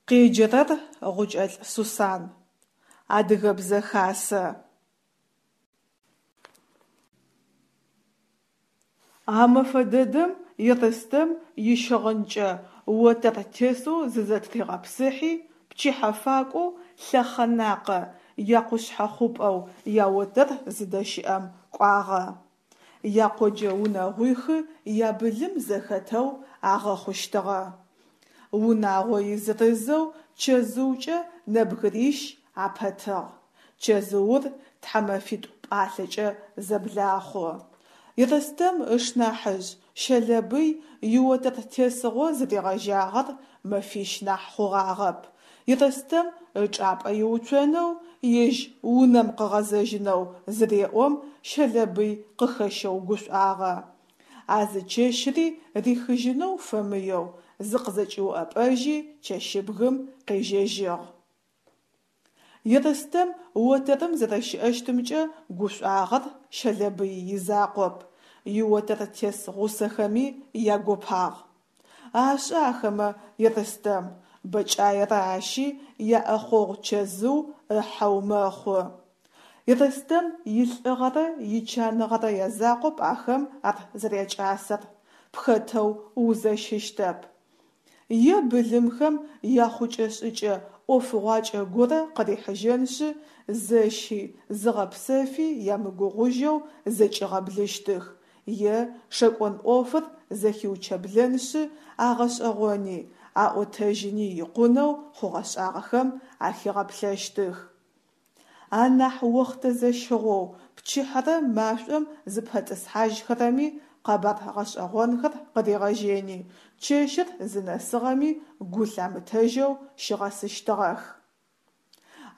Къеджэрэр Гъукӏэлӏ Сусан. Адыгэбзэ хасэ. А мэфэ дэдэм Ерстэм ищыгъынкӏэ отэр тесэу зызэтыригъэпсыхьи, пчыхьэ факӏоу Лъэхъэнакъэ якъушъхьэхъупӏэу яотэр зыдэщыӏэм кӏуагъэ. Якъоджэ унэгъуихы ябылым зэхэтэу агъэхъущтыгъэ. Унагъо изырызэу чэзыукӏэ нэбгырищ апэтыгъ. Чэзыур тхьамэфитӏу пӏалъэкӏэ зэблахъу. Ерстэм ышнахьыжъ Щэлэбый иотэр тесыгъо зыригъэжьагъэр мэфищ нахь хъугъагъэп. Ерстэм ычӏапӏэ иуцонэу, ежь унэм къыгъэзэжьынэу зыреӏом, Щэлэбый къыхэщэу гушӏуагъэ. А зы чэщри рихыжьынэу фэмыеу зыкъызэкӏиуӏэпӏэжьи чэщыбгым къежьэжьыгъ. Ерстэм отэрым зэрэщыӏэщтымкӏэ гушӏуагъэр Щэлэбый изакъоп, иотэртес гъусэхэми ягопагъ. Ашӏэ ахэмэ Ерстэм, бэкӏаерэ ащи яӏэхъогъу чэзыу ыхьэу мэхъу. Ерстэм илӏыгъэрэ ичаныгъэрэ язакъоп ахэм ар зэрякӏасэр, пхэтэу узэщыщтэп. Е былымхэм яхъукӏэ-шӏыкӏэ ӏофыгъуакӏэ горэ къырихьыжьэншъы, зэщи, зыгъэпсэфи ямыгугъужьэу зэкӏигъэблыщтых, е шэкӏон ӏофыр зэхиучэблэншъы, агъэшӏэгъони, аӏотэжьыни икъунэу хъугъэ-шӏагъэхэм ахигъэплъэщтых. Анахь охътэ зэщыгъоу пчыхьэрэ машӏом зыпэтӏысхьажьхэрэми къэбар гъэшӏэгъонхэр къыригъэжьэни, чэщыр зынэсыгъэми гу лъамытэжьэу щигъэсыщтыгъэх.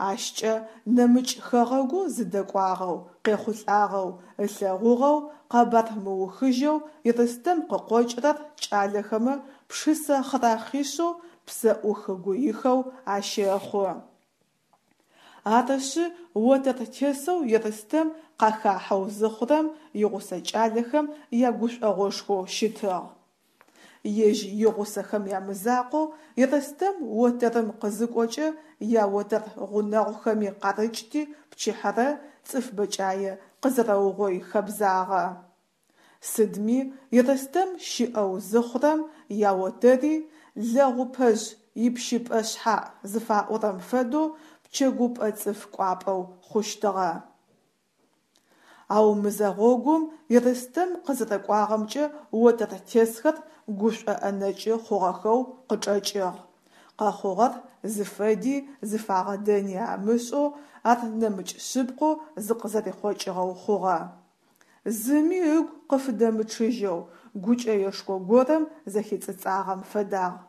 Ащкӏэ нэмыкӏ хэгъэгу зыдэкӏуагъэу, къехъулӏагъэу, ылъэгъугъэу, къэбар мыухыжьэу Ерстэм къыкъокӏрэр кӏалэхэмэ пшысэ хъырахъишъэу псэӏух-гуихэу ащэхъу. Арышъы, отэр тесэу Ерстэм къахахьэу зыхъурэм игъусэ кӏалэхэм ягушӏогъошхоу щытыгъ. Ежь игъусэхэм ямызакъоу, Ерстэм отэрым къызыкӏокӏэ яотэр гъунэгъухэми къарыкӏти пчыхьэрэ цӏыф бэкӏае къызэрэугъой хэбзагъэ. Сыдми, Ерстэм щыӏэу зыхъурэм яотэри лэгъупэжъ ипщыпӏэ шъхьаӏ зыфаӏорэм фэдэу пчэгупӏэ цӏыф кӏуапӏэу хъущтыгъэ. Ау мызэгъогум Ерстэм къызэрэкӏуагъэмкӏэ отэртесхэр гушӏоӏэнэкӏы хъугъэхэу къычӏэкӏыгъ. Къэхъугъэр зыфэди зыфагъэдэни амышӏэу ар нэмыкӏ шъыпкъэу зыкъызэрихъокӏыгъэу хъугъэ. Зыми ыгу къыфыдэмычъыжьэу, гукӏэешхо горэм зэхицӏыцӏагъэм фэдагъ.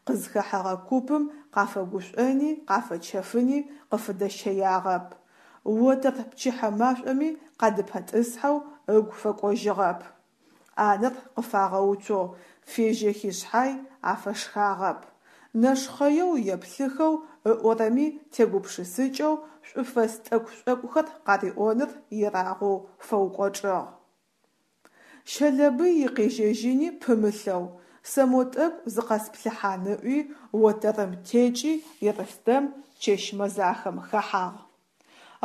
Къызхэхьэгъэ купым къафэгушӏони къафэчэфыни къыфыдэщэягъэп. Отэр пчыхьэ машӏоми къадыпэтӏысхьэу ыгу фэкӏожьыгъэп. ӏанэр къыфагъэуцоу фежьэхи шъхьай, афэшхагъэп. Нэшхъэеу еплъыхэу, ыӏорэми тегупшысыкӏэу шӏуфэс тӏэкӏу-шӏокӏухэр къариӏоныр ерагъоу фэукӏочӏыгъ. Щэлэбый икъежьэжьыни пымылъэу, сэ мо тӏэкӏу зыкъэсплъыхьан ыӏуи, отэрым текӏи Ерстэм чэщ мэзахэм хэхьагъ.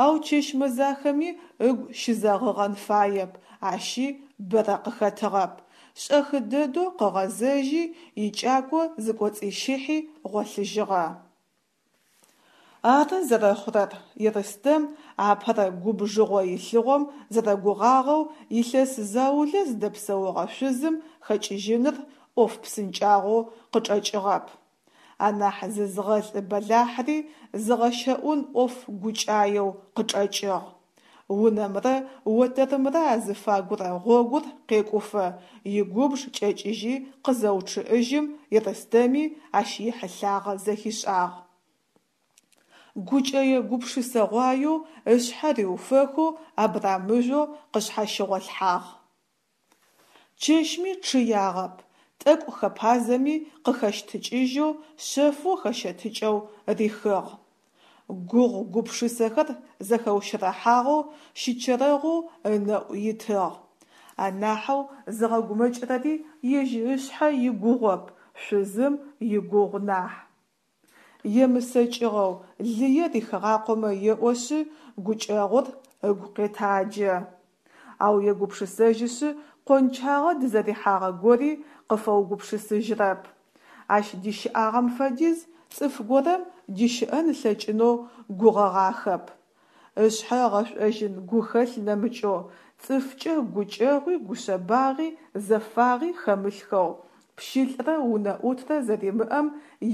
Ау чэщ мэзахэми ыгу щызэгъыгъэн фаеп, ащи бэрэ къыхэтыгъэп. Шӏэхы дэдэу къыгъэзэжьи, икӏако зыкӏоцӏищыхьи гъолъыжьыгъэ. Ары зэрэхъурэр, Ерстэм апэрэ губжыгъо илъыгъом зэрэгугъагъэу илъэс заулэ зыдэпсэугъэ шъузым хэкӏыжьыныр ӏоф псынкӏагъоу къычӏэкӏыгъэп. Анахь зызгъэлӏы бэлахьри зыгъэщэӏун ӏоф гукӏаеу къычӏэкӏыгъ. Унэмрэ отэрымрэ азыфагурэ гъогур къекӏуфэ, игубж кӏэкӏыжьи къызэучъыӏыжьым Ерстэми ащ ихьылъагъэ зэхишӏагъ. Гукӏэе гупшысэгъуаеу ышъхьэ риуфэхэу абрамыжъоу къышъхьащыгъолъхьагъ. Чэщми чъыягъэп, тӏэкӏу хэпазэми къыхэщтыкӏыжьэу, шъэфэу хэщэтыкӏэу рихыгъ. Гугъу гупшысэхэр зэхэущэрэхьагъэу, щычэрэгъоу ынэӏу итыгъ. Анахьэу зыгъэгумэкӏырэри ежь ышъхьэ игугъоп, шъузым игугъу нахь. Емысэкӏыгъэу, лые рихыгъакъомэ еӏошъы, гукӏэгъур ыгу къетаджэ. Ау егупшысэжьышъы, къончагъэ дызэрихьагъэ гори къыфэугупшысыжьрэп. Ащ дищыӏагъэм фэдиз цӏыф горэм дищыӏэн ылъэкӏынэу гугъэгъахэп. Ышъхьэ ыгъэшӏожьын гухэлъ нэмыкӏэу, цӏыфкӏэ гукӏэгъуи гушъэбагъи зэфагъи хэмылъхэу, пщылӏрэ унэӏутрэ зэримыӏэм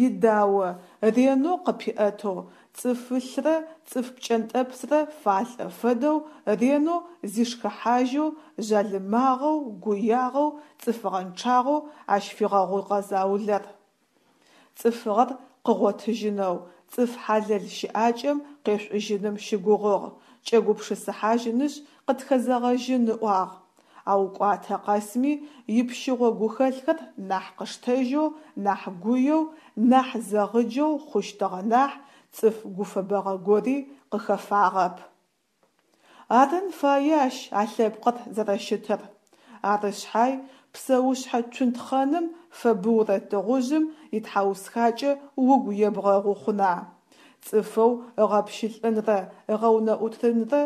идао ренэу къыпиӏэтэу, цӏыфылърэ цӏыф пкӏэнтӏэпсрэ фалӏэ фэдэу ренэу зишхыхьажьэу, жъалымагъэу, гуягъэу, цӏыфыгъэнчъагъэу ащ фигъэгъугъэ заулэр. Цӏыфыгъэр къыгъотыжьынэу, цӏыф хьалэл щыӏакӏэм къешӏужьыным щыгугъыгъ, кӏэгупшысыхьажьынышъ къытхэзэгъэжьын ыӏуагъ. Ау кӏуатэ къэсми ипщыгъо гухэлъхэр нахь къыштэжьэу, нахь гуеу, нахь зэгъыджэу хъущтыгъэ нахь, цӏыф гуфэбэгъэ гори къыхэфагъэп. Арын фае ащ а лъэпкъыр зэрэщытыр. Ары шъхьай, псэушъхьэ цунтхъэным фэбыурэ тыгъужъым итхьаусхакӏэ угу ебгъэгъу хъуна? Цӏыфэу ыгъэпщылӏынрэ ыгъэунэӏутынрэ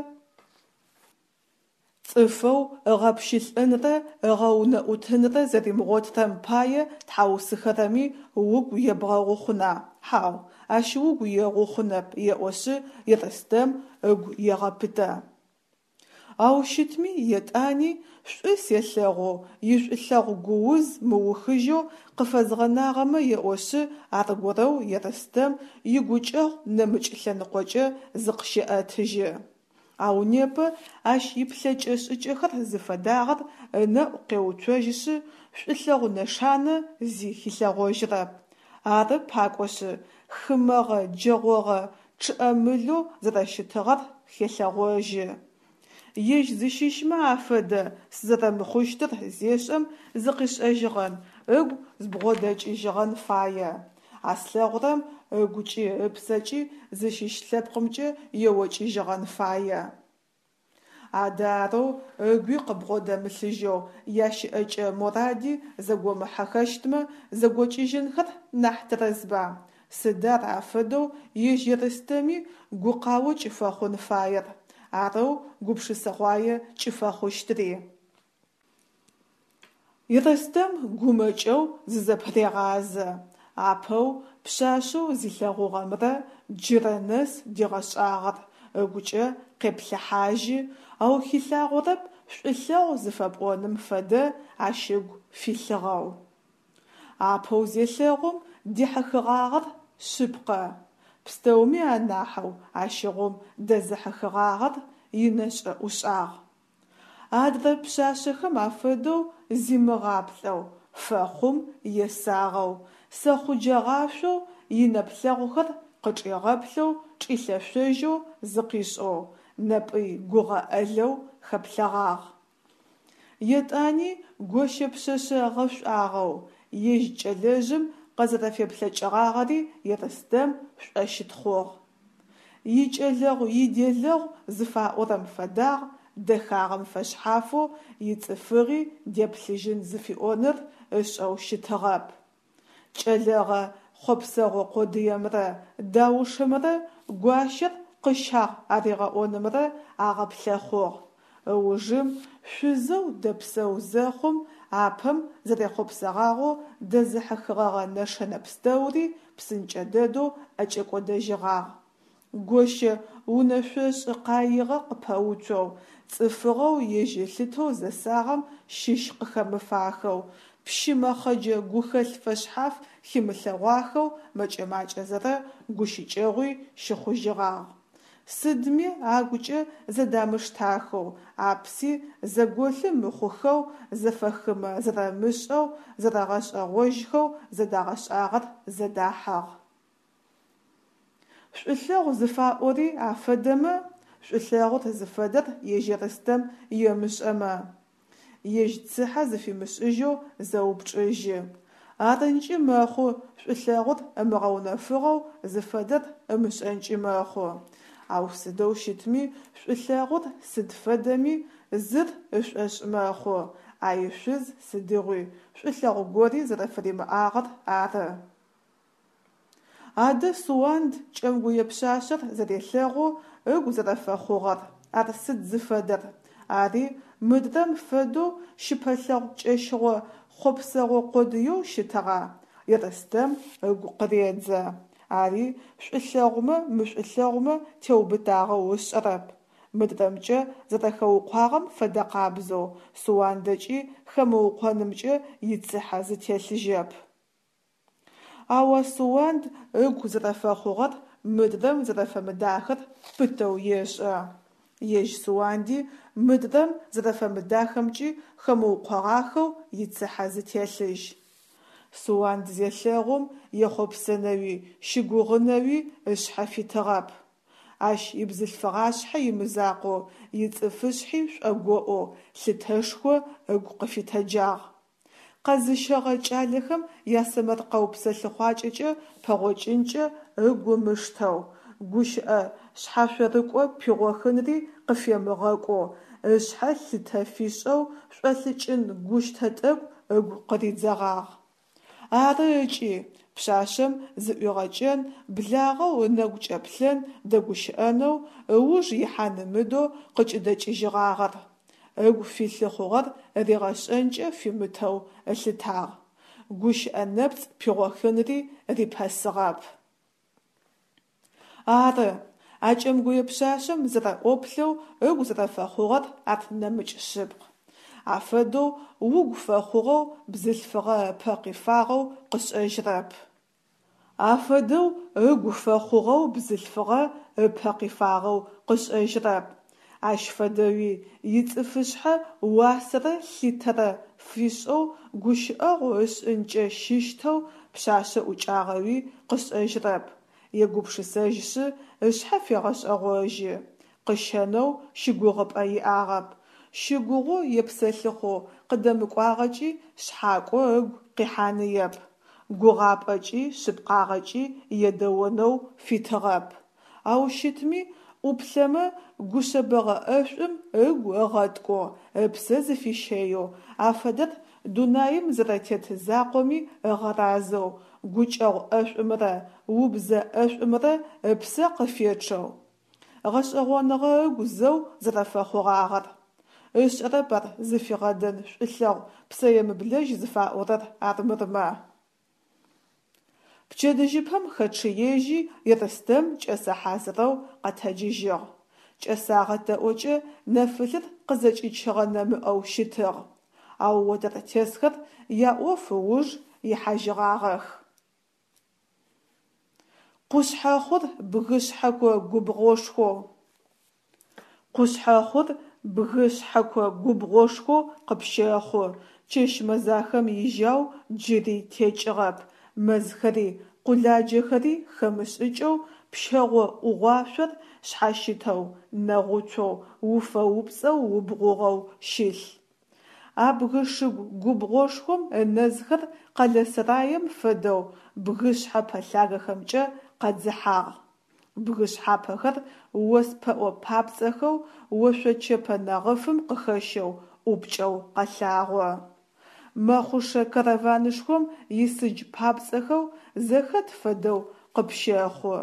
Цӏыфэу ыгъэпщылӏынрэ ыгъэунэӏутынрэ зэримыгъотрэм пае тхьаусыхэрэми угу ебгъэгъу хъуна? Хьау, ащ угу егъу хъунэп, еӏошъы Ерстэм ыгу егъэпытэ. Ау щытми, етӏани шӏу селъэгъу, ишӏулъэгъу гууз мыухыжьэу къыфэзгъэнагъэмэ еӏошъы, аргорэу Ерстэм игукӏэгъу нэмыкӏ лъэныкъокӏэ зыкъыщеӏэтыжьы. Ау непэ ащ иплъэкӏэ-шӏыкӏэхэр зыфэдагъэр ынэӏу къеуцожьышъы, шӏулъэгъу нэшанэ зи хилъэгъожьрэп. Ары пакӏошъы, хымэгъэ джэгъогъэ чъыӏэмылэу зэрэщытыгъэр хелъэгъожьы. Ежь зыщыщмэ афэдэ сызэрэмыхъущтыр зешӏэм зыкъишӏэжьыгъэн, ыгу збгъодэкӏыжьыгъэн фае. А слъэгъурэм ыгукӏи ыпсэкӏи зыщыщ лъэпкъымкӏэ еокӏыжьыгъэн фае. Адэ арэу ыгуи къыбгъодэмылъыжьэу, ящыӏэкӏэ моради зэгомыхьэхэщтмэ, зэгокӏыжьынхэр нахь тэрэзба? Сыд ар афэдэу ежь Ерстэми гукъао кӏыфэхъун фаер, арэу гупшысэгъуае кӏыфэхъущтри? Ерстэм гумэкӏэу зызэпырегъазэ. Апэу пшъашъэу зилъэгъугъэмрэ джырэ нэс дигъэшӏагъэр ыгукӏэ къеплъыхьажьы, ау хилъагъорэп шӏулъэгъу зыфэпӏоным фэдэ ащ ыгу филъыгъэу. Апэу зелъэгъум дихьыхыгъагъэр шъыпкъэ. Пстэуми анахьэу ащыгъум дэзыхьыхыгъагъэр инэшӏэ-ӏушӏагъ. Адрэ пшъашъэхэм афэдэу зимыгъаплӏэу, фэхъум есагъэу, сэхъуджэгъашъоу инэплъэгъухэр къычӏигъэплъэу чӏилъэшъожьэу зыкъишӏэу, нэпӏый гугъэ ӏэлэу хэплъэгъагъ. Етӏани гощэ пшъэшъэ гъэшӏуагъэу, ежь кӏэлэжъым къызэрэфеплъэкӏыгъагъэри Ерстэм шӏощытхъугъ. Икӏэлэгъу-иделэгъу зыфаӏорэм фэдагъ, дэхагъэм фэшъхьафэу ицӏыфыгъи деплъыжьын зыфиӏоныр ышӏэу щытыгъэп. Кӏэлэгъэ хъопсэгъо къодыемрэ даушымрэ гуащэр къыщагъ аригъэӏонымрэ агъэплъэхъугъ. Ыужым шъузэу дэпсэу зэхъум, апэм зэрехъопсэгъагъэу дэзыхьыхыгъэгъэ нэшэнэ пстэури псынкӏэ дэдэу ӏэкӏэкӏодэжьыгъагъ. Гощэ унэшъошӏы къаигъэ къыпэуцоу, цӏыфыгъэу ежь ылъытэу зэсагъэм щыщ къыхэмыфахэу, пщы мэхъэджэ гухэлъ фэшъхьаф химылъэгъуахэу мэкӏэ-макӏэзэрэ гущыкӏэгъуи щыхъужьыгъагъ. Сыдми агукӏэ зэдамыштахэу, апси зэголъы мыхъухэу, зэфэхымэ зэрэмышӏэу, зэрэгъэшӏэгъожьхэу зэдагъэшӏагъэр зэдахьыгъ. Шӏулъэгъу зыфаӏори афэдэмэ, шӏулъэгъур зыфэдэр ежь Ерстэм емышӏэмэ, ежь цыхьэ зыфимышӏыжьэу зэупчӏыжьы. Арынкӏи мэхъу шӏулъэгъур ымыгъэунэфыгъэу зыфэдэр ымышӏэнкӏи мэхъу. Ау сыдэу щытми шӏулъэгъур сыд фэдэми зыр ышӏошъ мэхъу, а ишъуз сыдигъуи шӏулъэгъу гори зэрэфыримыӏагъэр ары. Адэ Суанд кӏэмгуе пшъашъэр зэрелъэгъоу ыгу зэрэфэхъугъэр, ар сыд зыфэдэр? Ари мыдрэм фэдэу щыпэлъэгъу кӏэщыгъо хъопсэгъо къодыеу щытыгъа? Ерстэм ыгу къыредзэ. Ари шӏулъэгъумэ мышӏулъэгъумэ теубытагъэу ышӏэрэп. Мыдрэмкӏэ зэрэхэукъуагъэм фэдэкъабзэу Суандэкӏи хэмыукъонымкӏэ ицыхьэ зытелъыжьэп. Ау а Суанд ыгу зэрэфэхъугъэр мыдрэм зэрэфэмыдахэр пытэу ешӏэ. Ежь Суанди мыдрэм зэрэфэмыдахэмкӏи хэмыукъогъахэу ицыхьэ зытелъыжь. Суанд зелъэгъум ехъопсэнэуи щыгугъынэуи ышъхьэ фитыгъэп. Ащ ибзылъфыгъашъхьэ имызакъоу ицӏыфышъхьи шӏогоӏоу, лъытэшхо ыгу къыфитэджагъ. Къэзыщэгъэ кӏалэхэм ясэмэркъэу псэлъыхъуакӏэкӏэ пэгъокӏынкӏэ ыгу ымыштэу, гущыӏэ шъхьашъорыкӏо пигъохынри къыфемыгъэкӏоу, ышъхьэ лъытэ фишӏэу шӏолӏыкӏын гущтэ тӏэкӏу ыгу къыридзэгъагъ. Ары ыкӏи, пшъашъэм зыӏуигъэкӏэн, благъэу ынэгу кӏэплъэн, дэгущыӏэнэу, ыуж ихьан ымыдэу къыкӏыдэкӏыжьыгъагъэр. Ыгу филъы хъугъэр ригъэшӏэнкӏэ фимытэу ылъытагъ. Гущыӏэ нэпцӏ пигъохынри рипэсыгъэп. Ары, а кӏэмгуе пшъашъэм зэрэӏоплъэу ыгу зэрэфэхъугъэр ар нэмыкӏ шъыпкъ. Афэдэу угу фэхъугъэу бзылъфыгъэ ыпэ къифагъэу къышӏэжьрэп. Афэдэу ыгу фэхъугъэу бзылъфыгъэ ыпэ къифагъэу къышӏэжьрэп. Ащ фэдэуи ицӏыфышъхьэ уасэрэ лъитэрэ фишӏэу гущыӏэгъу ышӏынкӏэ щыщтэу пшъашъэ ӏукӏагъэуи къышӏэжьрэп. Егупшысэжьышъы ышъхьэ фегъэшӏэгъожьы. Къыщэнэу щыгугъыпӏэ иӏагъэп. Щыгугъэу епсэлъыхъоу къыдэмыкӏуагъэкӏи шъхьакӏо ыгу къихьаныеп. Гугъапӏэкӏи шъыпкъагъэкӏи едэонэу фитыгъэп. Ау щытми, ӏуплъэмэ гушъэбэгъэ ӏэшӏум ыгу ыгъэткӏоу, ыпсэ зыфищэеу, афэдэр дунаим зэрэтет закъоми ыгъэразэу, гукӏэгъу ӏэшӏумрэ убзэ ӏэшӏумрэ ыпсэ къыфечъэу, гъэшӏэгъоныгъэ ыгу зэу зэрэфэхъугъагъэр. Ышӏэрэп ар зыфигъэдэн шӏулъэгъу псэемыблэжь зыфаӏорэр армырмэ. Пчэдыжьыпэм хэчъыежьи, Ерстэм кӏэсэ хьазырэу къэтэджыжьыгъ. Кӏэсагъэ тэӏокӏэ нэфылъыр къызэкӏичыгъэ нэмыӏэу щытыгъ. Ау отэртесхэр яӏоф ыуж ихьажьыгъагъэх. Къушъхьэхъур бгы шъхьэко губгъошхоу. Къушъхьэхъур бгы шъхьэко губгъошхоу къыпщэхъу, чэщ мэзахэм ижьау джыри текӏыгъэп, мэзхэри къуладжэхэри хэмышӏыкӏэу пщэгъо ӏугъуашъор шъхьащытэу, нэгъуцоу, уфэ-упцӏэу убгъугъэу щылъ. А бгы шыгу губгъошхом ынэзхэр къэлэ сэраем фэдэу бгы шъхьэпэ лъагэхэмкӏэ къэдзыхьагъ. Бгы шъхьапэхэр ос пэӏо папцӏэхэу ошъочэпэ нэгъыфым къыхэщэу ӏупкӏэу къэлъагъо. Мэхъушэ караванышхом исыдж папцӏэхэу зэхэт фэдэу къыпщэхъу.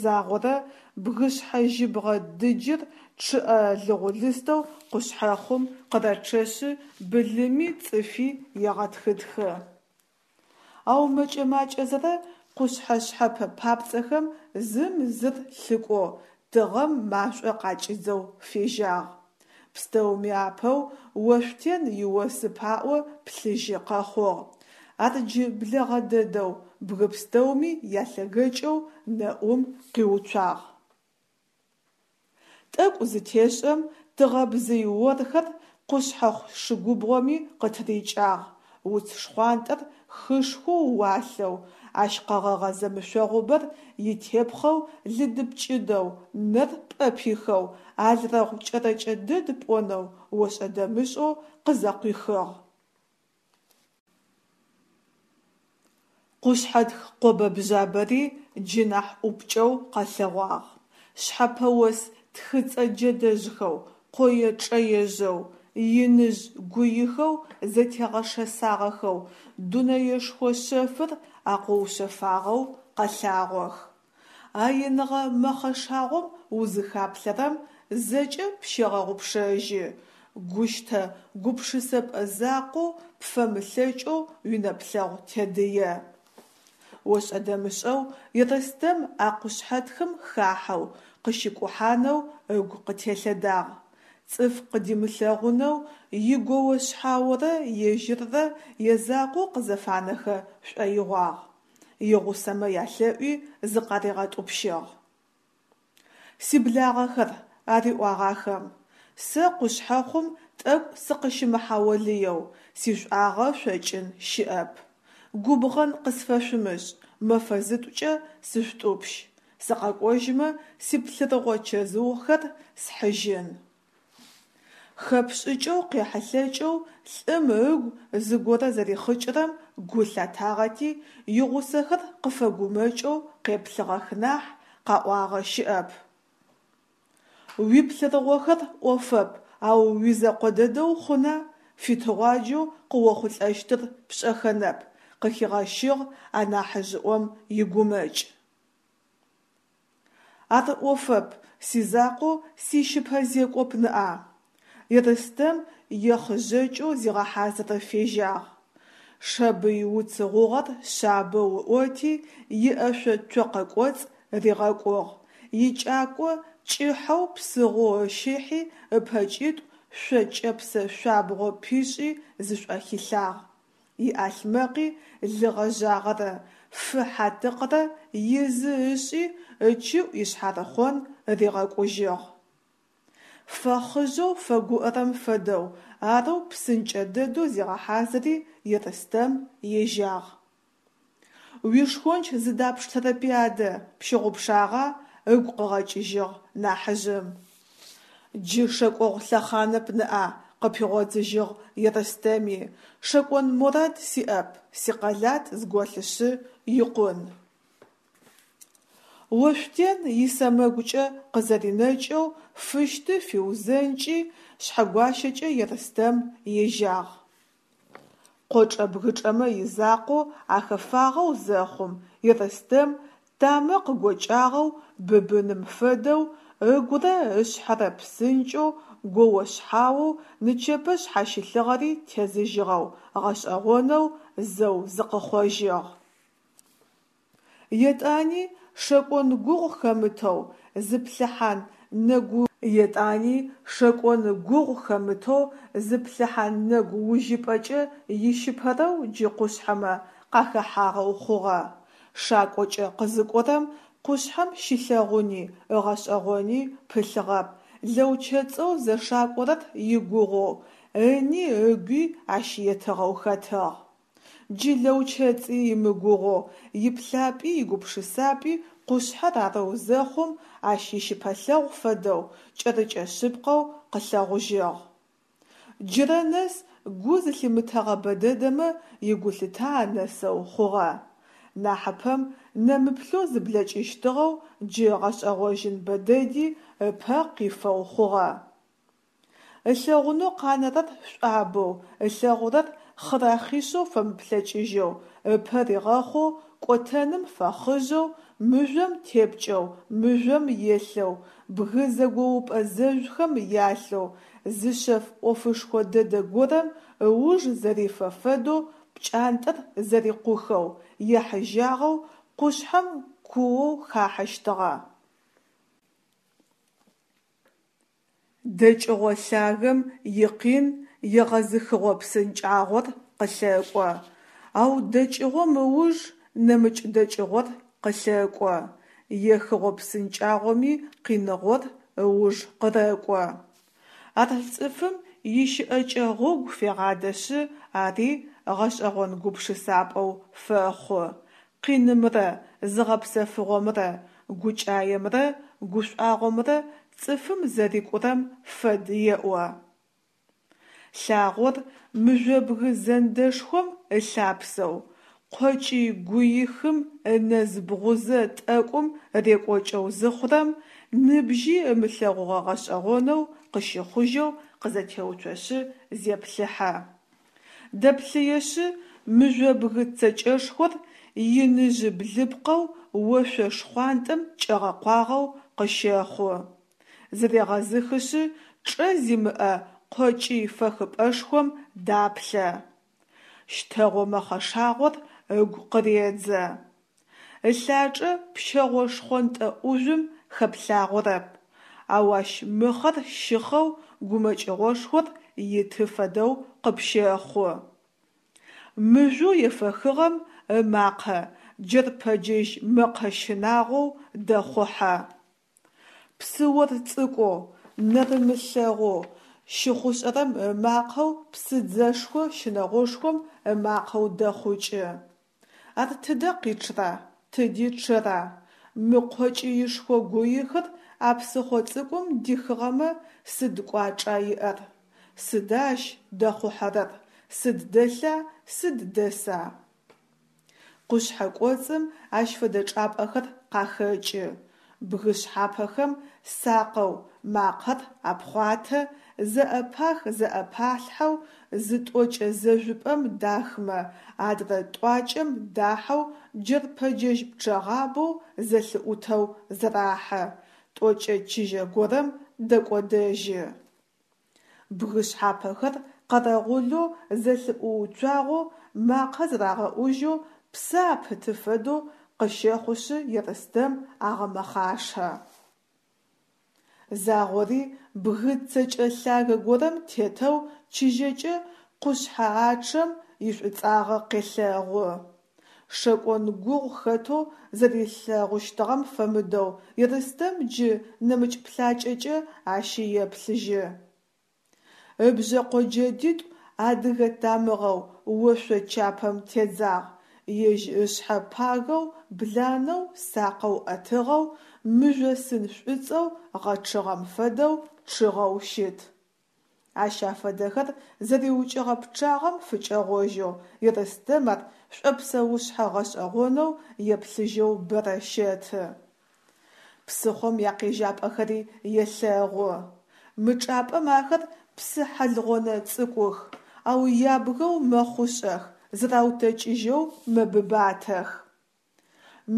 Загъорэ бгышъхьэ жьыбгъэ дыджыр чъыӏэ лыгъулыстэу къушъхьэхъум къырэчъэшъы былыми цӏыфи егъэтхытхы. Ау мэкӏэ-макӏэзэрэ къушъхьэ шъхьэпэ папцӏэхэм зым зыр лъыкӏоу, тыгъэм машӏо къакӏидзэу фежьагъ. Пстэуми апэу Ошъутен иосы паӏо плъыжьы къэхъугъ. Ар джы блэгъэ дэдэу, бгы пстэуми ялъэгэкӏэу нэӏум къиуцуагъ. Тӏэкӏу зытешӏэм тыгъэбзый орхэр къушъхьэхъу шыгубгъоми къытырикӏагъ, уц шхъуантӏэр хышхоу уалъэу, ащ къэгъэгъэ зэмышъогъубэр итепхъэу лыдыпкӏыдэу, нэр пӏэпихэу, алрэгъу кӏэрэкӏэ дэд пӏонэу ошӏэ-дэмышӏэу къызэкъуихыгъ. Къушъхьэтх къобэ-бжъабэри джы нахь ӏупкӏэу къэлъэгъуагъ. Шъхьэпэ ос тхыцӏэ джэдэжъхэу, къое-чӏэежъэу, иныжъ гуихэу зэтегъэшэсагъэхэу дунэешхо шъэфыр акъоушъэфагъэу къэлъагъох. А иныгъэ мэхъэшагъом узыхаплъэрэм, зэкӏэ пщегъэгъупшэжьы, гущтэ гупшысэпӏэ закъоу пфэмылъэкӏэу уинэплъэгъу тедые. Ошӏэ-дэмышӏэу Ерстэм а къушъхьэтхым хахьэу, къыщикӏухьанэу ыгу къытелъэдагъ. Цӏыф къыдимылъэгъунэу игоо-шъхьаорэ ежьыррэ язакъоу къызэфанэхэ шӏоигъуагъ. Игъусэмэ ялъэӏуи зыкъаригъэтӏупщыгъ. Сиблагъэхэр, ариӏуагъ ахэм, сэ къушъхьэхъум тӏэкӏу сыкъыщымыхьаолыеу, сишӏуагъэ шъокӏын щыӏэп. Губгъэн къысфэшъумышӏ, мэфэ зытӏукӏэ сышъутӏупщ, сыкъэкӏожьмэ сиплъырыгъо чэзыухэр схьыжьын. Хэпшӏыкӏэу къехьылъэкӏэу лӏым ыгу зыгорэ зэрихъыкӏырэм гу лъатагъэти, игъусэхэр къыфэгумэкӏэу къеплъыгъэх нахь, къаӏуагъэ щыӏэп. Уиплъырыгъохэр ӏофэп, ау уизэкъо дэдэу хъуна, фитыгъуаджэу къыохъулӏэщтыр пшӏэхэнэп, къыхигъэщыгъ анахьыжъыӏом игумэкӏ. Ар ӏофэп, сизакъоу сищыпэ зекӏоп ныӏа. Ерстэм ехъыжъэкӏэу зигъэхьазыры фежьагъ. Шабый уц гъугъэр шъабэу ыӏоти, иӏэшъо цокъэ кӏоцӏ ригъэкӏугъ, икӏако кӏыхьэу псыгъоу ыщыхьи ыпэкӏитӏу шъо кӏэпсэ шъуабгъо пишӏи зышӏохилъагъ. Иӏалъмэкъи лы гъэжъагъэрэ фы хьатыкърэ изы ышӏи ычыӏу ишъхьарыхъон ригъэкӏужьыгъ. Фэхъыжъэу фэгуӏэрэм фэдэу, арэу псынкӏэ дэдэу зигъэхьазыри Ерстэм ежьагъ. Уишхонч зыдапштэрэпи адэ, пщыгъупшагъа? ыгу къыгъэкӏыжьыгъ нахьыжъым. Джы шэкӏогъу лъэхъанэп ныӏа, къыпигъодзыжьыгъ Ерстэми, шэкӏон морад сиӏэп, сикъэлат зголъышъы икъун. Ошъутен исэмэгукӏэ къызэринэкӏэу Фыщты фиузэнкӏи, Шъхьэгуащэкӏэ Ерстэм ежьагъ. Къочӏэ-бгычӏэмэ изакъоу ахэфагъэу зэхъум, Ерстэм тамэ къыгокӏагъэу быбыным фэдэу, ыгурэ ышъхьэрэ псынкӏэу, гоо-шъхьаоу нычэпэ шъхьащылъыгъэри тезыжьыгъэу, гъэшӏэгъонэу зэу зыкъыхъожьыгъ. Етӏани шэкӏон гугъу хэмытэу зыплъыхьан нэгу Етӏани шэкӏон гугъу хэмытэу зыплъыхьан нэгу ужьыпӏэкӏэ ищыпэрэу джы къушъхьэмэ къахэхьагъэу хъугъэ. Шакӏокӏэ къызыкӏорэм къушъхьэм щилъэгъуни ыгъэшӏэгъони пылъыгъэп, лэучэцӏэу зэшакӏорэр игугъоу, ыни ыгуи ащ етыгъэу хэтыгъ. Джы лэучэцӏи имыгугъоу, иплъапӏи игупшысапӏи къушъхьэр арэу зэхъум, ащ ищыпэлъэгъу фэдэу, кӏэрыкӏэ шъыпкъэу къылъэгъужьыгъ. Джырэ нэс гу зылъимытэгъэ бэдэдэмэ игулъытэ анэсэу хъугъэ. Нахьыпэм нэмыплъэу зыблэкӏыщтыгъэу джы ыгъэшӏэгъожьын бэдэди ыпэ къифэу хъугъэ. Ылъэгъунэу къанэрэр шӏуабэу, ылъэгъурэр хъырахъишъэу фэмыплъэкӏыжьэу, ыпэ ригъэхъоу, кӏотэным фэхъыжъэу, мыжъом тепкӏэу, мыжъом елъэу, бгы зэгоупӏэ зэжъухэм ялъэу, зы шъэф ӏофышхо дэдэ горэм ыуж зэрифэ фэдэу пкӏантӏэр зэрикъухэу, ехьыжьагъэу къушъхьэм куоу хахьэщтыгъэ. Дэкӏыгъо лъагэм икъин егъэзыхыгъо псынкӏагъор къылъэкӏо, ау дэкӏыгъом ыуж нэмыкӏ дэкӏыгъор къылъэкӏо, ехыгъо псынкӏагъоми къиныгъор ыуж къырэкӏо. Ар цӏыфым ищыӏэкӏэ гъогу фегъадэшъы ари гъэшӏэгъон гупшысапӏэу фэхъу, къинымрэ зыгъэпсэфыгъомрэ, гукӏаемрэ гушӏуагъомрэ цӏыфым зэрикӏурэм фэд еӏо. Лъагъор мыжъобгы зэндэшхом ылъапсэу, къокӏый гуихым ынэз бгъузэ тӏэкӏум рекӏокӏэу зыхъурэм, ныбжьи ымылъэгъугъэ гъэшӏэгъонэу къыщыхъужьэу къызэтеуцошъы зеплъыхьэ. Дэплъыешъы, мыжъобгы цэкӏэшхор иныжъы блыпкъэу ошъо шхъуантӏэм кӏэгъэкъуагъэу къыщэхъу. Зырегъэзыхышъы, чӏэ зимыӏэ къокӏый фэхыпӏэшхом даплъэ. Щтэгъо мэхъэшагъор ыгу къыредзэ. Ылъачӏэ пщэгъо шхъонтӏэ ӏужъум хэплъагъорэп, ау ащ мыхъэр щыхъэу гумэкӏыгъошхор иты фэдэу къыпщэхъу. Мыжъоу ефэхыгъэм ымакъэ джэрпэджэжь мэкъэ щынагъоу дэхъухьэ. Псыор цӏыкӏоу, нэрымылъэгъоу, щыхъушӏэрэм ымакъэу псыдзэшхо щынэгъошхом ымакъэу дэхъукӏы. Ар тыдэ къичъра, тыди чъэра? Мы къокӏыишхо гуихыр а псыхъо цӏыкӏум дихыгъэмэ сыд кӏуачӏа иӏэр? Сыда ащ дэхъухьэрэр, сыд дэлъа, сыд дэса? Къушъхьэ кӏоцӏым ащ фэдэ чӏапӏэхэр къахэкӏы, бгы шъхьапэхэм сакъэу макъэр апхъуатэ, зэӏэпах-зэӏэпалъхьэу зы тӏокӏэ зэжъупӏэм дахмэ, адрэ тӏуакӏэм дахьэу джэрпэджэжь пчъэгъабэу зэлъыӏутэу зэрахьэ, тӏокӏэ чыжьэ горэм дэкӏодэжьы. Бгы шъхьапэхэр къэрэгъулэу зэлъыӏууцуагъэу, макъэ зэрагъэӏужьэу, псэ апыты фэдэу къыщэхъушъы Ерстэм агъэмэхъашэ. Загъори бгы цэкӏэ лъагэ горэм тетэу чыжьэкӏэ къушъхьэ ачъэм ишӏуцӏагъэ къелъэгъу. Шэкӏон гугъу хэтэу зэрилъэгъущтыгъэм фэмыдэу Ерстэм джы нэмыкӏ плъакӏэкӏэ ащи еплъыжьы. Ыбжъэкъо джэдитӏу адыгэ тамыгъэу ошъо чапэм тедзагъ, ежь ышъхьэ пагэу, бланэу, сакъэу ӏэтыгъэу, мыжъосын шӏуцӏэу гъэчъыгъэм фэдэу чъыгъэу щыт. Ащ афэдэхэр зэриукӏыгъэ пчъагъэм фыкӏэгъожьэу Ерстэм ар шӏопсэушъхьэ гъэшӏэгъонэу еплъыжьэу бэрэ щэты. Псыхъом якъежьапӏэхэри елъэгъу. Мы чӏапӏэм ахэр псы хьэлгъонэ цӏыкӏух, ау ябгэу мэхъушӏэх, зыраутэкӏыжьэу мэбыбатэх.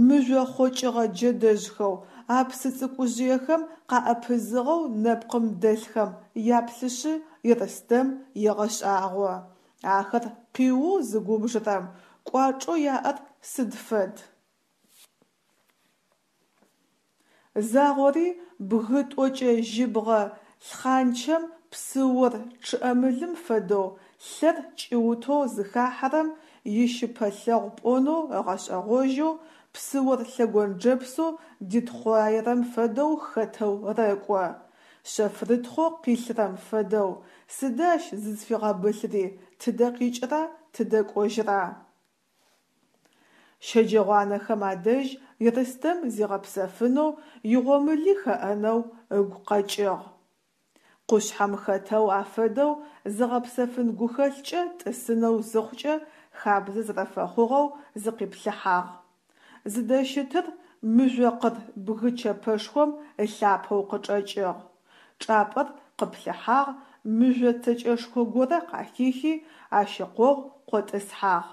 Мыжъо хъокӏыгъэ джэдэжъхэу а псы цӏыкӏужъыехэм къаӏэпызыгъэу нэпкъым дэлъхэм яплъышъы Ерстэм егъэшӏагъо: ахэр къиоу зыгубжырэм кӏуачӏэу яӏэр сыд фэд? Загъори бгы тӏокӏэ жьыбгъэ лъхъанчэм псыор чъыӏэмылым фэдэу лъэр кӏиутэу зыхахьэрэм ищыпэлъэгъу пӏонэу ыгъэшӏэгъожьэу, псыор лъэгонджэпсэу дитхъуаерэм фэдэу хэтэу рэкӏо. Шъэфрытхъоу къилъырэм фэдэу, сыда ащ зызфигъэбылъри, тыдэ къикӏыра, тыдэ кӏожьыра? Щэджэгъуанэхэм адэжь Ерстэм зигъэпсэфынэу, игъомыли хэӏэнэу ыгу къэкӏыгъ. Къушъхьэм хэтэу афэдэу зыгъэпсэфын гухэлъкӏэ тӏысынэу зыхъукӏэ хабзэ зэрэфэхъугъэу зыкъиплъыхьагъ. Зыдэщытыр мыжъокъыр бгы чэпэшхом ылъапэу къычӏэкӏыгъ. Чӏапӏэр къыплъыхьагъ, мыжъо цэкӏэшхо горэ къахихи, ащ ыкъогъу къотӏысхьагъ.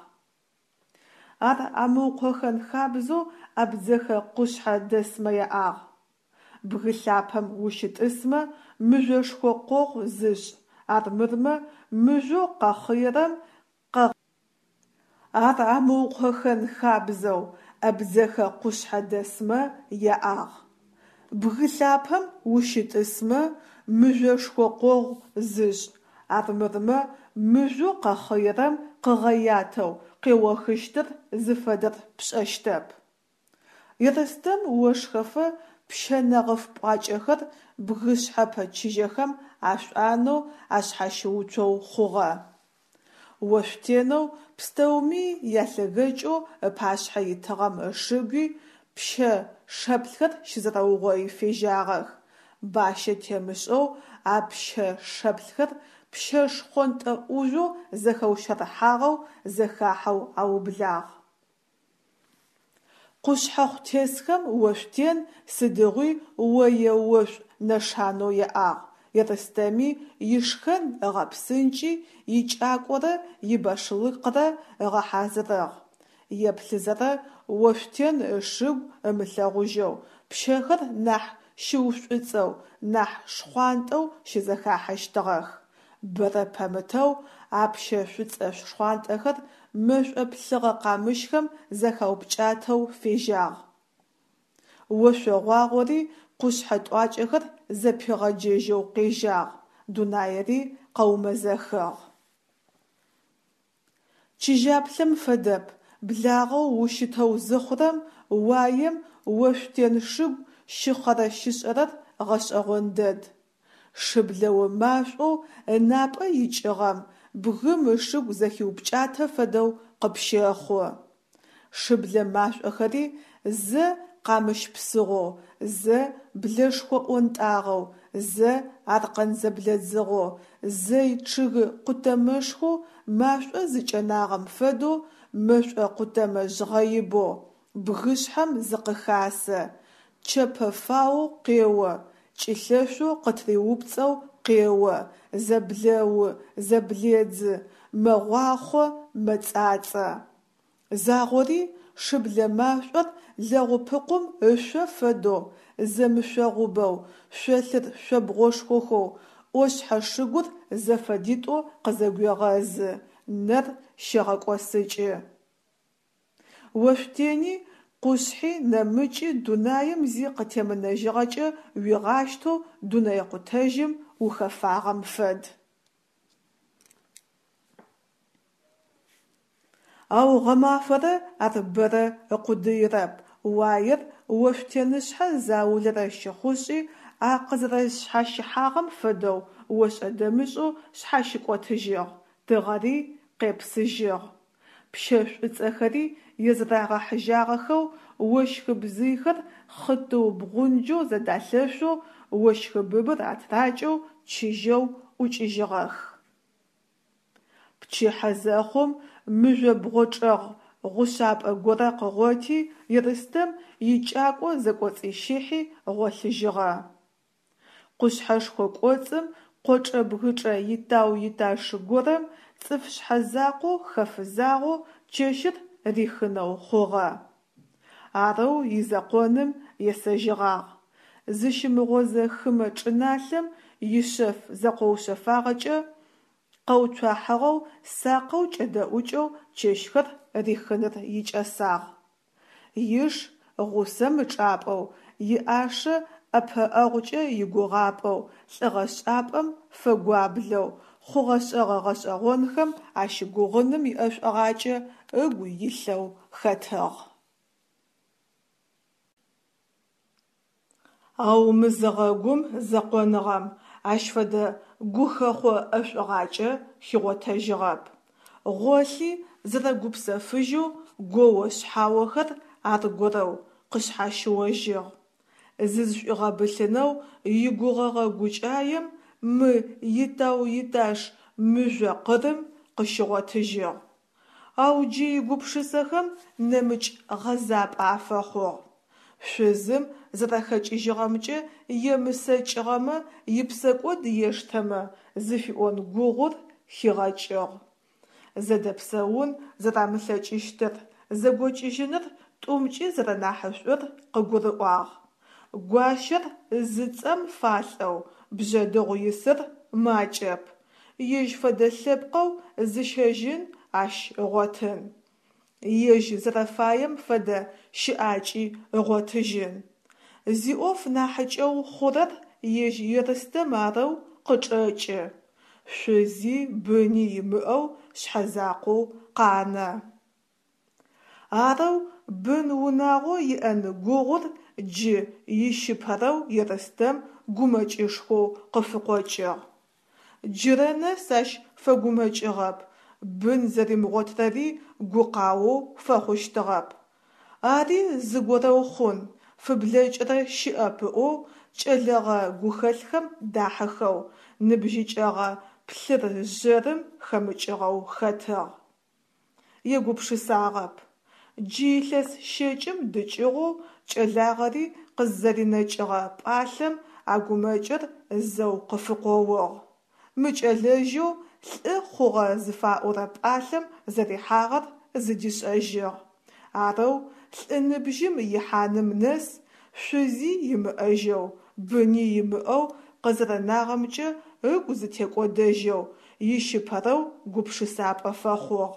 Ар амыукъохэн хабзэу абдзэхэ къушъхьэ дэсмэ яӏагъ. Бгы лъапэм ущытӏысмэ, мыжъошхо къогъу зышӏ, армырмэ мыжъоу къэхъыерэм Ар амыукъохэн хабзэу абдзэхэ къушъхьэ дэсмэ яӏагъ. Бгы лъапэм ущытӏысмэ, мыжъошхо къогъу зышӏ, армырмэ мыжъоу къэхъыерэм къыгъэятэу къеохыщтыр зыфэдэр пшӏэщтэп. Ерстэм ошхэфэ пщэ нэгъыф пӏуакӏэхэр бгышъхьэпэ чыжьэхэм ашӏуанэу ашъхьащыуцоу хъугъэ. Ошъутенэу пстэуми ялъэгэкӏэу ыпашъхьэ итыгъэм ышыгуи пщэ шэплъхэр щызэрэугъои фежьагъэх, бащэ темышӏэу а пщэ шэплъхэр пщэ шхъонтӏэ ӏужъоу зэхэущэрыхьагъэу зэхахьэу аублагъ. Къушъхьэхъу тесхэм Ошъутен сыдигъуи ое-ошӏу нэшанэу яӏагъ, Ерстэми ишхэн ыгъэпсынкӏи, икӏакӏорэ ибашлыкърэ ыгъэхьазырыгъ. Еплъызэрэ Ошъутен ышыгу ымылъэгъужьэу, пщэхэр нахь щыушӏуцӏэу, нахь шхъуантӏэу щызэхахьэщтыгъэх. Бэрэ пэмытэу а пщэ шӏуцӏэ-шхъуантӏэхэр мэшӏо плъыгъэ къамыщхэм зэхаупкӏатэу фежьагъ. Ошъогъуагъори къушъхьэ тӏуакӏэхэр зэпигъэджэжьэу къежьагъ, дунаири къэумэзэхыгъ. Чыжьаплъэм фэдэп, благъэу ущытэу зыхъурэм, уаем Ошъутен шыгу щыхъэрэ-щышӏэрэр гъэшӏэгъон дэд. Шыблэо машӏоу ынапӏэ икӏыгъэм бгым ышыгу зэхиупкӏатэ фэдэу къыпщэхъу. Шыблэ машӏохэри зэ къамыщ псыгъоу, зэ блэшхо ӏонтӏагъэу, зэ аркъэн зэблэдзыгъэу, зэ чъыгы къутэмэшхоу машӏо зыкӏэнагъэм фэдэу мэшӏо къутэмэ жъгъэибэу бгышъхьэм зыкъыхасэ, чэпэфаоу къео, кӏылъэшъоу къытыриупцӏэу къео, зэблэу, зэбледзы, мэгъуахъо, мэцӏацӏэ. Загъори шыблэ машӏор лэгъупыкъум ышъо фэдэу зэмышъогъубэу, шъолъыр шъобгъошхохэу ӏошъхьэ шыгур зэфэдитӏо къызэгуегъэзы, нэр щегъэкӏосыкӏы. Ошъутени, къушъхьи, нэмыкӏи дунаим зи къытемынэжьыгъэкӏэ уигъащтэу дунэекъутэжьым ухэфагъэм фэд. Ау гъэмафэрэ ар бэрэ ыкъудыирэп, уаер Ошъутенышъхьэ заулэрэ щыхъушӏи, а къызэрэшъхьащыхьагъэм фэдэу ошӏэ-дэмышӏэу шъхьащыкӏотыжьыгъ, тыгъэри къепсыжьыгъ. Пщэ шӏуцӏэхэри езэрэгъэхьыжьагъэхэу, ощхы бзыйхэр хъытыу бгъунджэу зэдалъэшъоу, ощхыбыбыр атыракӏэу чыжьэу ӏукӏыжьыгъэх. Пчыхьэ зэхъум мыжъобгъо чӏэгъ гъушъапӏэ горэ къыгъоти, Ерстэм икӏакӏо зэкӏоцӏищыхьи гъолъыжьыгъэ. Къушъхьэшхо кӏоцӏым къочӏэ-бгычӏэ итау-иташ горэм цӏыф шъхьэзакъоу хэфызагъэу чэщыр рихынэу хъугъэ. Арэу изэкъоным есэжьыгъагъ. Зыщымыгъозэ хымэ чӏыналъэм ишъэф зэкъоушъэфагъэкӏэ къэуцуахьыгъэу сакъэу кӏэдэӏукӏэу чэщхэр рихыныр икӏэсагъ. Иш гъусэм ычӏапӏэу, иӏашэ ӏэпыӏэгъукӏэ игугъапӏэу, лӏыгъэшӏапӏэм фэгуаблэу, хъугъэ-шӏэгъэ гъэшӏэгъонхэм ащыгугъыным иӏэшӏугъакӏэ ыгу илъэу хэтыгъ. Ау мызыгъэгум зэкъоныгъэм ащ фэдэ гухэхъо ӏэшӏугъакӏэ хигъотэжьыгъэп. Гъолъи зэрэгупсэфыжьэу гоо-шъхьаохэр аргорэу къышъхьащыожьыгъ. Зызшӏуигъэбылъынэу игугъэгъэ гукӏаем мы итау-иташ мыжъо къырым къыщигъотыжьыгъ. Ау джы игупшысэхэм нэмыкӏ гъэзапӏэ афэхъугъ. Шъузым зэрэхэкӏыжьыгъэмкӏэ емысэкӏыгъэмэ ипсэкӏод ештэмэ зыфиӏон гугъур хигъэкӏыгъ. Зэдэпсэун зэрамылъэкӏыщтыр, зэгокӏыжьыныр тӏумкӏи зэрэнахьышӏур къыгурыӏуагъ. Гуащэр зыцӏэм фалӏэу Бжъэдыгъу исыр макӏэп, ежь фэдэ лъэпкъэу зыщэжьын ащ ыгъотын. Ежь зэрэфаем фэдэ щыӏакӏи ыгъотыжьын. Зиӏоф нахьыкӏэу хъурэр ежь Ерстэм арэу къычӏэкӏы. Шъузи быни имыӏэу шъхьэзакъоу къанэ. Арэу бын-унагъо иӏэн гугъур джы ищыпэрэу Ерстэм гумэкӏышхоу къыфыкъокӏыгъ. Джырэ нэс ащ фэгумэкӏыгъэп, бын зэримыгъотырэри гукъаоу фэхъущтыгъэп. Ари зыгорэу хъун, фыблэкӏырэ щыӏэп ыӏоу кӏэлэгъэ гухэлъхэм дахьыхэу, ныбжьыкӏэгъэ плъыр-жъэрым хэмыкӏыгъэу хэтыгъ. Егупшысагъэп. Джы илъэс щэкӏым дыкӏыгъоу кӏэлагъэри къыззэринэкӏыгъэ пӏалъэм а гумэкӏыр зэу къыфыкъоугъ. Мыкӏэлэжьэу лӏы хъугъэ зыфаӏорэ пӏалъэм зэрихьагъэр зыдишӏэжьыгъ. Арэу лӏы ныбжьым ихьаным нэс шъузи имыӏэжьэу, быни имыӏэу къызэрэнагъэмкӏэ ыгу зытекӏодэжьэу, ищыпэрэу гупшысапӏэ фэхъугъ.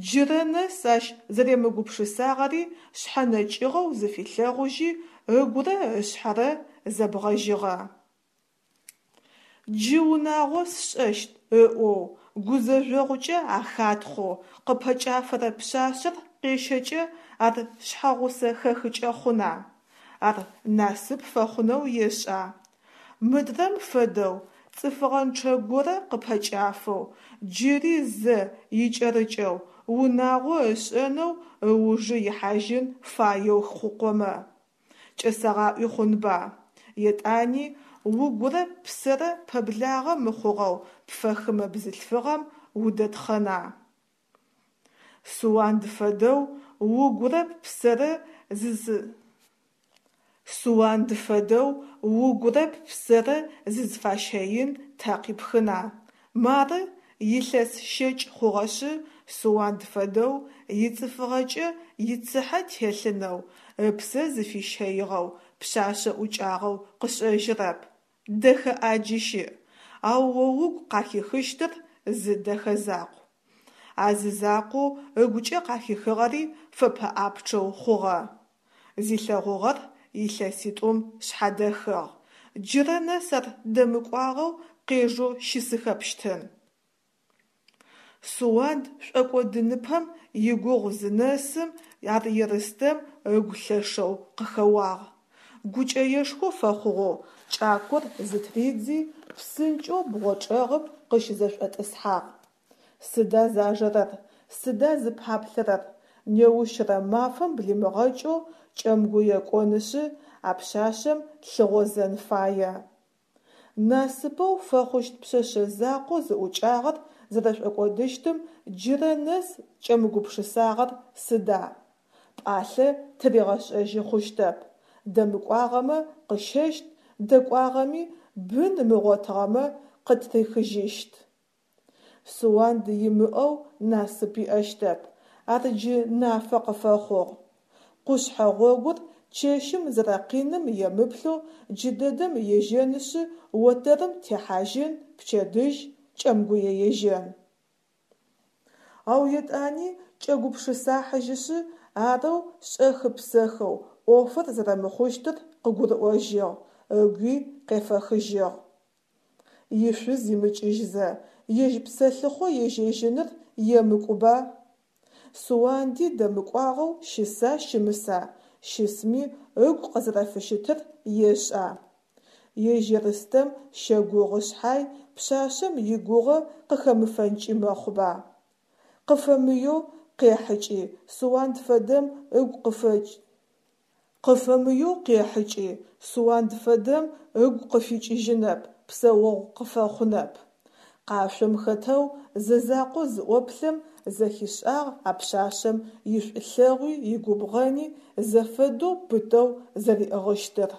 Джырэ нэс ащ зэремыгупшысагъэри шъхьэнэкӏыгъэу зыфилъэгъужьи, ыгурэ ышъхьэрэ зэбгъэжьыгъэ. Джы унагъо сшӏэщт ыӏоу, гузэжъогъукӏэ ахатхъоу къыпэкӏафэрэ пшъашъэр къещэкӏэ ар шъхьэгъусэ хэхыкӏэ хъуна? Ар насып фэхъунэу ешӏа? Мыдрэм фэдэу, цӏыфыгъэнчъэ горэ къыпэкӏафэу, джыри зэ икӏэрыкӏэу унагъо ышӏэнэу ыужы ихьажьын фаеу хъукъомэ, кӏэсэгъаӏуи хъунба? Етӏани угурэ ппсэрэ пэблагъэ мыхъугъэу пфэхымэ бзылъфыгъэм удэтхъэна? Суанд фэдэу угурэ ппсэрэ Суанд фэдэу угурэ ппсэрэ зызфащэин тэ къипхына? Мары, илъэс щэкӏ хъугъэшъы, Суанд фэдэу ицӏыфыгъэкӏэ ицыхьэ телъынэу, ыпсэ зыфищэигъэу пшъашъэ ӏукӏагъэу къышӏэжьырэп. Дэхэ ӏаджи щыӏ, ау о угу къахихыщтыр зы дэхэ закъу. А зы закъоу ыгукӏэ къахихыгъэри фэпэӏапчъэу хъугъэ. Зилъэгъугъэр илъэситӏум шъхьадэхыгъ. Джырэ нэс ар дэмыкӏуагъэу къежэу щысыхэпщтын. Суанд шӏокӏодыныпэм игугъу зынэсым ар Ерстэм ыгу лъэшэу къыхэуагъ. Гукӏэешхо фэхъугъэу кӏакор зытридзи, псынкӏэу бгъочӏэгъым къыщызэшӏотӏысхьагъ. Сыда зажэрэр, сыда зыпаплъэрэр, неущрэ мафэм блимыгъэкӏэу Кӏэмгуе кӏонышъы а пшъашъэм лъыгъозэн фае. Насыпэу фэхъущт пшъэшъэ закъоу зыӏукӏагъэр зэрэшӏокӏодыщтым джырэ нэс кӏэмыгупшысагъэр сыда? Пӏалъэ тыригъэшӏэжьы хъущтэп. Дэмыкӏуагъэмэ къыщэщт, дэкӏуагъэми, бын ымыгъотыгъэмэ къытрихыжьыщт. Суанд имыӏэу насып иӏэщтэп, ар джы нафэ къыфэхъугъ. Къушъхьэ гъогур чэщым зэрэкъиным емыплъэу джыдэдэм ежьэнышъы отэрым техьажьын, пчэдыжь Кӏэмгуе ежьэн. Ау етӏани кӏэгупшысахьыжьышъы, арэу шӏэхы-псэхэу ӏофыр зэрэмыхъущтыр къыгурыӏожьыгъ, ыгуи къефэхыжьыгъ. Ишъуз имыкӏыжьзэ, ежь псэлъыхъо ежьэжьыныр емыкӏуба? Суанди дэмыкӏуагъэу щыса щымыса, щысми ыгу къызэрэфыщытыр ешӏа? Ежь Ерстэм щэгугъы шъхьай, пшъашъэм игугъэ къыхэмыфэнкӏи мэхъуба? Къыфэмыеу къехьыкӏи, Суанд фэдэм ыгу къыфэкӏ. Къыфэмыеу къехьыкӏи, Суанд фэдэм ыгу къыфикӏыжьынэп, псэогъу къыфэхъунэп. Къашъом хэтэу зэзакъо зыӏоплъэм зэхишӏагъ а пшъашъэм ишӏулъэгъуи игубгъэни зэфэдэу пытэу зэриӏыгъыщтыр.